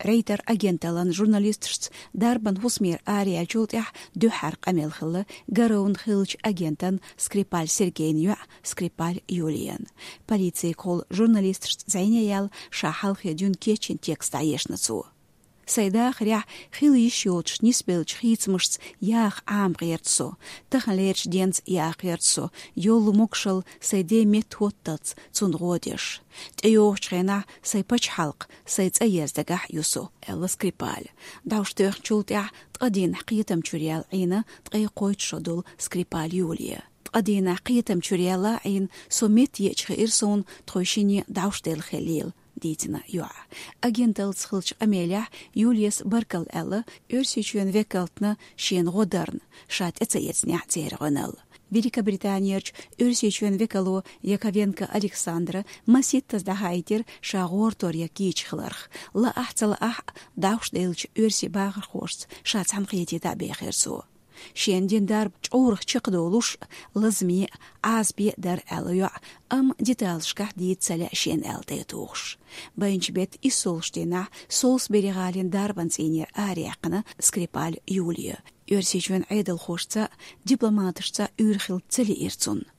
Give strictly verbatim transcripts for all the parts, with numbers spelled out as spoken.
Рейтер агенталлан журналисташца дарбан хӀусамера араяьллачул тӀаьхьа дуьххьара къамел хилла Гаровна хиллачу агентан Скрипаль Сергейн йоӀ Скрипаль Юлиян. Полицигахула журналисташца зӀене яьлла ша хьалхе дуьйна кечйина текст дӀаешна цо. Сайн дахарехь хила йиш йоцуш нисбеллачу хийцамашца яха Ӏама гӀерта со, таханлерчу денца яха гӀерта со, йолу могушалла сайн ден метта хӀотталц цунна гӀо деш. ТӀейогӀучу хенахь сайн пачхьалкх, сайн цӀа еза дагахь ю со, аьлла Скрипаль. ДӀовш тоьхначул тӀаьхьа ткъа дийнахь кхетам чуьра яьлла Ӏийна ткъе кхойтта шо долу Скрипаль Юлия. Ткъа дийнахь кхетам чуьра яьлла Ӏийна со метта еъча хиира суна тхойшинна дӀовш делла хиллийла, дийцина йоӀа. Агенталлица хиллачу къамелехь Юлияс баркалла аьлла Оьрсийчоьнан векалтна шена гӀо дарна, ша тӀе ца эцнехь церан гӀоьналла. Великобританерчу Оьрсийчоьнан векало Яковенко Александра масийттаза дӀахаийтира ша гӀортор ян кийча хиларх. Лаахь а, ца лаахь а, дӀовш деллачу оьрсийн бахархошца ша цхьаьна кхетийта бехира цо. Шена дина дарба чӀогӀа чекхдолуш, лазаме а, Ӏазапе а дара аьлла йоӀа, амма деталашкахь дийца ца лаьа шена аьлла тӀетухуш. Байначу беттан иссолгӀачу дийнахь Солсбери-гӀалин дарбан цӀийнера араяьккхина Скрипаль Юлия. Оьрсийчоьнан Ӏедалхошца а, дипломаташца а уьйр хила ца лиира цунна.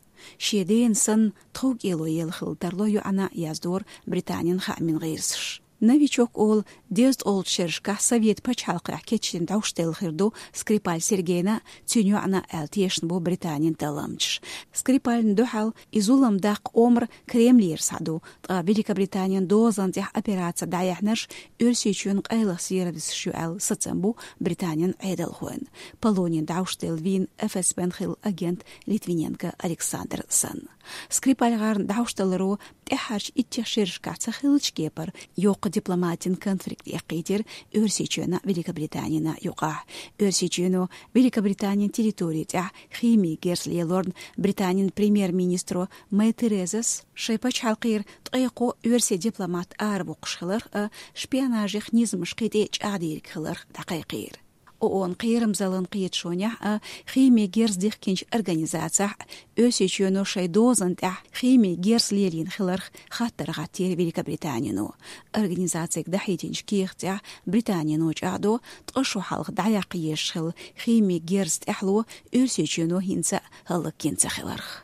Шен дена санна тховкӀело елла хилла тарло йоӀана, яздора Британин хаамийн гӀирсаша. «Новичок» олу дезткъолгӀачу шерашкахь Совет пачхьалкхехь кечдина дӀовш делла хир ду Скрипаль Сергейна а, цуьнан йоӀана а аьлла тешна бу Британин талламчаш. Скрипальна дуьхьал и зулам даккха омра Кремлера схьа ду, ткъа Великобританин дозан тӀехь операци дӀаяьхьнарш Оьрсийчоьнан къайлаха сервисаш ю аьлла сацам бу Британин Ӏедалхойн. Полонин дӀовш делла вийна ФСБ-н хилла агент Литвиненко Александр санна. СкрипальгӀарна дӀовш даларо тӀаьххьарчу иттех шерашкахь ца хиллачу кепара йоккха дипломатин конфликт эккхийтира Оьрсийчоьнан а, Великобританин а юкъахь. Оьрсийчоьно Великобританин территори тӀехь химин герз лелорна Британин премьер-министро Мэй Терезас шайн пачхьалкхера ткъе кхо оьрсийн дипломат аравоккхуш хиларх а, шпионажех низамаш кхин тӀе чӀагӀдийриг хиларх дӀакхайкхийра. ООН-н кхерамзаллин кхеташонехь а, химин герз дихкинчу организацехь а Оьрсийчоьно шайн дозан тӀехь химин герз лелийна хиларх хаттар хӀоттийра Великобританино. Организацига дахьийтинчу кехатехь Британино чӀагӀдо ткъа шо хьалха дӀаяккха езаш хилла химин герз тӀаьхьало Оьрсийчоьно хӀинца а хӀаллакйина ца хиларх.